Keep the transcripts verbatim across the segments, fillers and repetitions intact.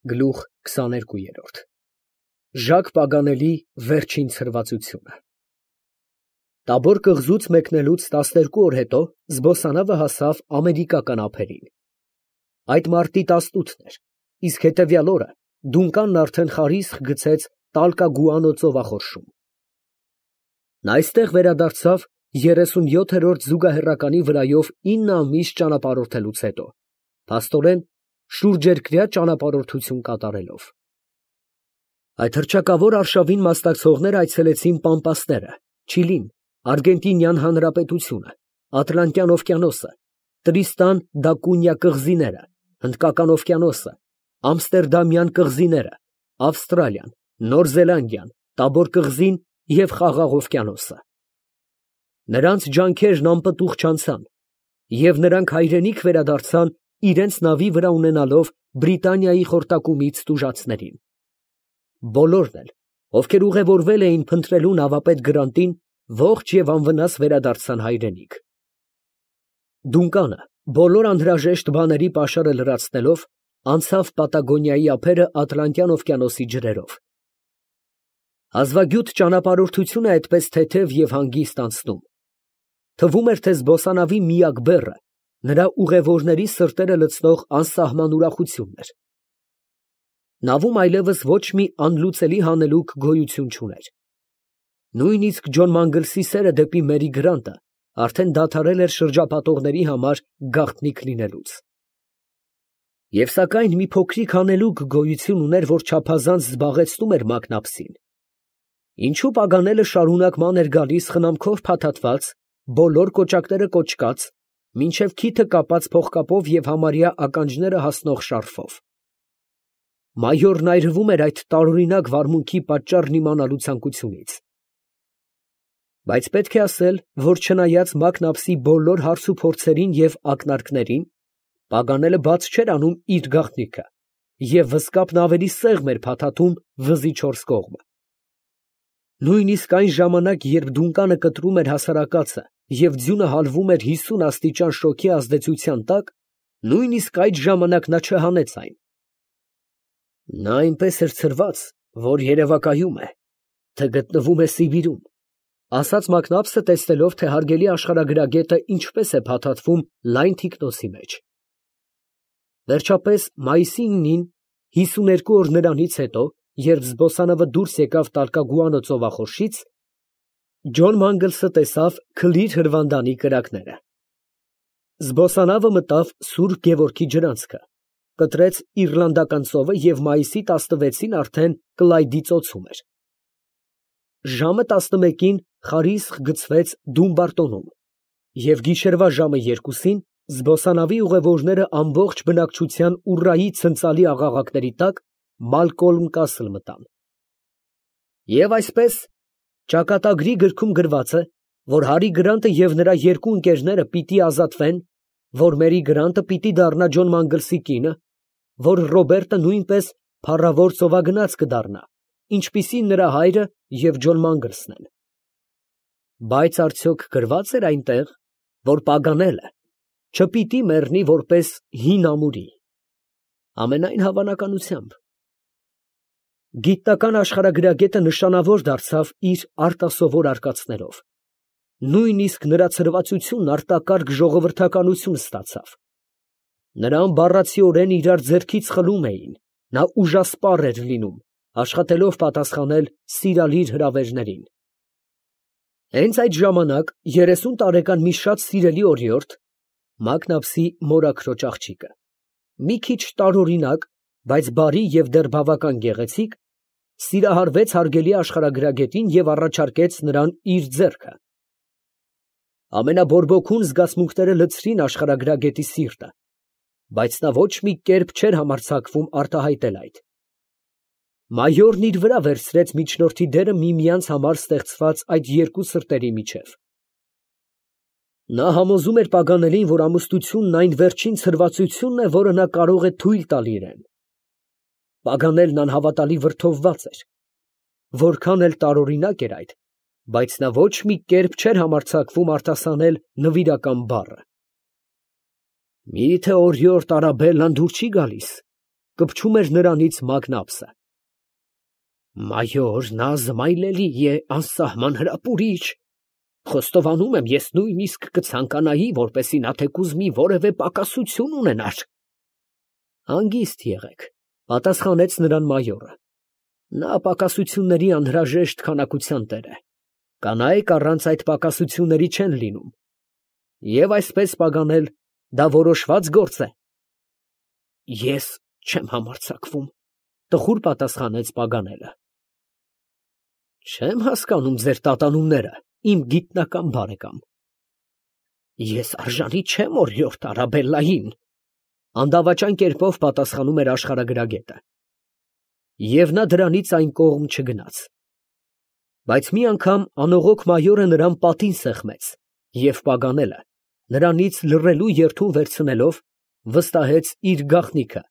Գլուխ քսաներկու։ Ժակ Պագանելի վերջին ցրվածությունը։ Տաբոր կղզուց մեկնելուց տասներկու օր հետո զբոսանավը հասավ ամերիկական ափերին։ Այդ մարտի տասնութն էր, իսկ հետևյալ օրը Դունկանն արդեն խարիսխ գցեց Տալկագուանո ծովախորշում։ Նա այստեղ վերադարձավ երեսունյոթերորդ զուգահեռականի վրայով ինը ամիս ճանապարհորդելուց հետո, փաստորեն շուրջերկրյա ճանապարհորդություն կատարելով։ Այդ հռչակավոր արշավին մասնակցողները այցելեցին Պամպասները, Չիլին, Արգենտինյան Հանրապետությունը, Ատլանտյան օվկիանոսը, Տրիստան դա Կունյա կղզիները, Հնդկական օվկիանոսը, Ամստերդամյան կղզիները, Ավստրալիան, Նոր Զելանդիան, Տաբոր կղզին և Խաղաղ օվկիանոսը։ Նրանց ջանքերն անպտուղ չանցան, և նրանք հայրենիք վերադարձան իրենց նավի վրա ունենալով Բրիտանիայի խորտակումից տուժածներին։ Բոլորն էլ, ովքեր ուղևորվել էին փնտրելու նավապետ Գրանտին, ողջ և անվնաս վերադարձան հայրենիք։ Դունկանը, բոլոր անհրաժեշտ բաների պաշարը լրացնելով, անցավ Պատագոնիայի ափերը Ատլանտյան օվկիանոսի ջրերով։ Հազվագյուտ ճանապարհորդությունը այդպես թեթև և հանգիստ անցնում, թվում էր, թե զբոսանավի միակ բեռը նրա ուղևորների սրտերը լցնող անսահման ուրախությունն էր։ Նավում այլևս ոչ մի անլուծելի հանելուկ գոյություն չուներ։ Նույնիսկ Ջոն Մանգլսի սերը դեպի Մերի Գրանտը արդեն դադարել էր շրջապատողների համար գաղտնիք լինելուց։ Եվ սակայն մի փոքրիկ հանելուկ գոյություն ուներ, որ չափազանց զբաղեցնում էր Մակնապսին։ Ինչու Պագանելը շարունակման էր գալիս խնամքով փաթաթված, բոլոր կոճակները կոճկած, մինչև քիթը կապած փողկապով և համարյա ականջները հասնող շարֆով։ Մայորն այրվում էր այդ տարօրինակ վարմունքի պատճառն իմանալու ցանկությունից։ Բայց պետք է ասել, որ չնայած Մակնապսի բոլոր հարցուփորձերին և ակնարկներին, Պագանելը բաց չէր անում իր գաղտնիքը և վզկապն ավելի սեղմ էր փաթաթում վզի չորս կողմը։ Նույնիսկ այն ժամանակ, երբ Դունկանը կտրում էր հասարակածը և ձյունը հալվում էր հիսուն աստիճան շոգի ազդեցության տակ, նույնիսկ այդ ժամանակ նա չհանեց այն։ Նա այնպես էր ցրված, որ երևակայում է, թե գտնվում է Սիբիրում, ասաց Մակնապսը, տեսնելով, թե հարգելի աշխարհագրագետը ինչպես է փաթաթվում լայն թիկնոցի մեջ։ Վերջապես մայիսի ինին, հիսուներկու օր նրանից հետո, երբ զբոսանավը դուրս եկավ Տալկագուանո ծովախորշից, Ջոն Մանգլսը տեսավ քլիր հրվանդանի կրակները։ Զբոսանավը մտավ Սուրբ Գևորգի ջրանցքը, կտրեց Իռլանդական ծովը և մայիսի տասնվեցին արդեն Կլայդի ծոցում էր։ Ժամը տասնմեկին խարիսխ գցվեց Դումբարտոնում, և գիշերվա ժամը երկուսին զբոսանավի ուղևորները ամբողջ բնակչության ուռայի ցնծալի աղաղակների տակ Մալկոլմ կասլ մտան։ Եվ այսպես, ճակատագրի գրքում գրված է, որ Հարի Գրանտը և նրա երկու ընկերները պիտի ազատվեն, որ Մերի Գրանտը պիտի դառնա Ջոն Մանգլսի կինը, որ Ռոբերտը նույնպես փառավոր ծովագնաց կդառնա, ինչպիսին նրա հայրը և Ջոն Մանգլսն են։ Բայց արդյոք գրված էր այնտեղ, որ Պագանելը չպիտի մեռնի որպես հին ամուրի։ Ամենայն հավանականությամբ։ Գիտնական աշխարհագրագետը նշանավոր դարձավ իր արտասովոր արկածներով։ Նույնիսկ նրա ցրվածությունն արտակարգ ժողովրդականություն ստացավ։ Նրան բառացիորեն իրար ձեռքից խլում էին, նա ուժասպառ էր լինում, աշխատելով պատասխանել սիրալիր հրավերներին։ Հենց այդ ժամանակ երեսուն տարեկան մի շատ սիրելի օրիորդ, Մակնապսի մորաքրոջ աղջիկը, մի քիչ տարօրինակ, բայց բարի և դեռ բավական գեղեցիկ, սիրահարվեց հարգելի աշխարհագրագետին և առաջարկեց նրան իր ձեռքը։ Ամենաբորբոքուն զգացմունքները լցրին աշխարհագրագետի սիրտը, բայց նա ոչ մի կերպ չէր համարձակվում արտահայտել այդ։ Մայորն իր վրա վերցրեց միջնորդի դերը միմյանց համար ստեղծված այդ երկու սրտերի միջև։ Նա համոզում էր Պագանելին, որ ամուսնությունն այն վերջին ցրվածությունն է, որը նա կարող է թույլ տալ իրան։ Պագանելն անհավատալի վրդովված էր։ Որքան էլ տարօրինակ էր այդ, բայց նա ոչ մի կերպ չէր համարձակվում արտասանել նվիրական բառը։ Մի՞թե օրիորդ Արաբելլան դուր չի գալիս։ կպչում էր նրանից մագնապսը։ Մայոր, նա զմայլելի է, անսահման հրապուրիչ։ Խոստովանում եմ, ես նույնիսկ կցանկանայի, որպեսզի նա թեկուզ մի որևէ պակասություն ունենար։ Հանգիստ եղեք, պատասխանեց նրան մայորը։ Նա պակասությունների անհրաժեշտ քանակության տեր է։ Կանայք առանց այդ պակասությունների չեն լինում։ Եվ այսպես պագանել, դա որոշված գործ է։ Ես չեմ համարձակվում, տխուր պատասխանեց պագանելը։ Չեմ հասկանում ձեր տատանումները, իմ գիտնական բարեկամ։ Ես արժանի չեմ օրիորդ Արաբելլային, անդավաճան կերպով պատասխանում էր աշխարհագրագետը։ Եվ նա դրանից այն կողմ չգնաց։ Բայց մի անգամ անողոք մայորը նրան պատին սեղմեց, և պագանելը, նրանից լռելու երդում վերցնելով, վստահեց իր գաղտնիքը,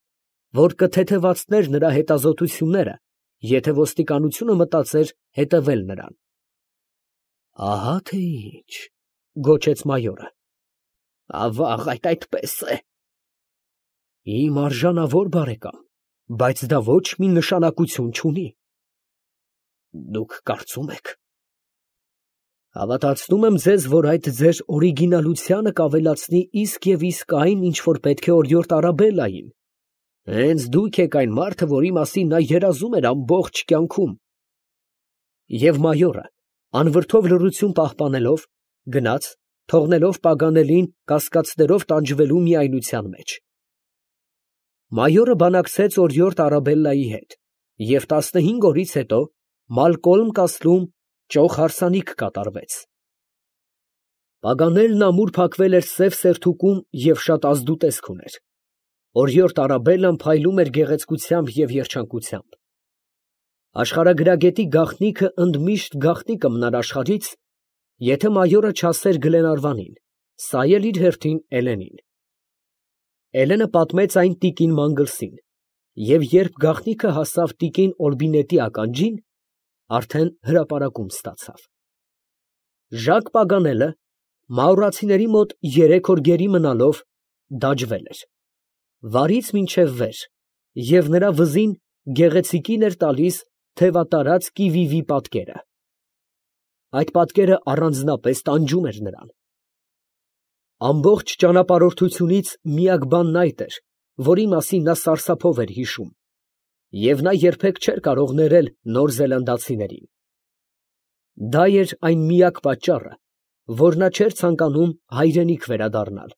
որ կթեթևացներ նրա հետազոտությունները, եթե ոստիկանությունը մտածեր հետևել նրան։ Ահա թե ինչ, գոչեց մայորը։ Ավաղ, այդ այդպես է։ Իմ արժանավոր բարեկամ, բայց դա ոչ մի նշանակություն չունի։ Դուք կարծում եք։ Հավատացնում եմ ձեզ, որ այդ ձեր օրիգինալությանը կավելացնի իսկ և իսկ այն, ինչ որ պետք է օրիորդ Արաբելլային։ Հենց դուք եք այն մարդը, որի մասին նա երազում էր ամբողջ կյանքում։ Եվ մայորը, անվրդով լռություն պահպանելով, գնաց, թողնելով պագանելին կասկածներով տանջվելու միայնության մեջ։ Մայորը բանակցեց օրիորդ Արաբելլայի հետ, և տասնհինգ օրից հետո Մալկոլմ կասլում ճոխ հարսանիք կատարվեց։ Պագանելն ամուր փակվել էր սև սերթուկում և շատ ազդուտեսկ ուներ։ Օրիորդ Արաբելլան փայլում էր գեղեցկությամբ և երջանկությամբ։ Աշխարհագրագետի գաղտնիքը ընդմիշտ գաղտնիք կմնար աշխարհից, եթե մայորը չասեր Գլենարվանին, սա էլ իր հերթին Էլենին։ Էլենը պատմեց այն տիկին Մանգլսին, և երբ գաղտնիքը հասավ տիկին Օլբինետի ականջին, արդեն հրապարակում ստացավ։ Ժակ Պագանելը, մաուրացիների մոտ երեք օր գերի մնալով, դաջվել էր, վարից մինչև վեր, և նրա վզին գեղեցիկին էր տալիս թևատարած կիվիվի պատկերը։ Այդ պատկերը առանձնապես տանջում էր նրան։ Ամբողջ ճանապարհորդությունից միակ բանն այդ էր, որի մասին նա սարսափով էր հիշում, և նա երբեք չէր կարող ներել նոր զելանդացիներին։ Դա էր այն միակ պատճառը, որ նա չէր ցանկանում հայրենիք վերադառնալ,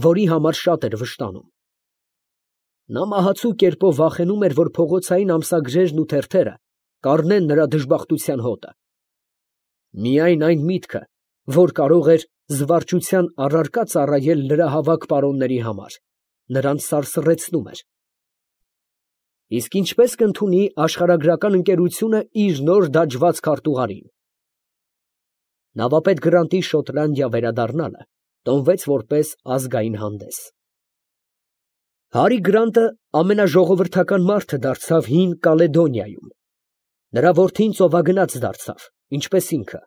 որի համար շատ էր վշտանում։ Նա մահացու կերպով վախենում էր, որ փողոցային ամսագրերն ու թերթերը կառնեն նրա դժբախտության հոտը։ Միայն այն միտքը, որ կարող էր զվարճության առարկա ծառայել լրահավաք պարոնների համար, նրան սարսռեցնում էր։ Իսկ ինչպես կընդունի աշխարհագրական ընկերությունը իր նոր դաջված քարտուղարին։ Նավապետ Գրանտի Շոտլանդիա վերադառնալը տոնվեց որպես ազգային հանդես։ Հարի Գրանտը ամենաժողովրդական մարդը դարձավ Հին Կալեդոնիայում։ Նրա որդին ծովագնաց դարձավ, ինչպես ինքը,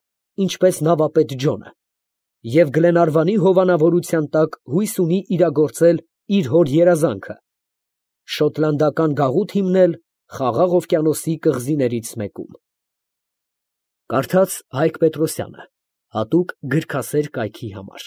ինչպես նավապետ Ջոնը, և Գլենարվանի հովանավորության տակ հույս ունի իրագործել իր հոր երազանքը՝ շոտլանդական գաղութ հիմնել Խաղաղ օվկիանոսի կղզիներից մեկում։ Կարդաց Հայկ Պետրոսյանը, հատուկ գրքասեր կայքի համար։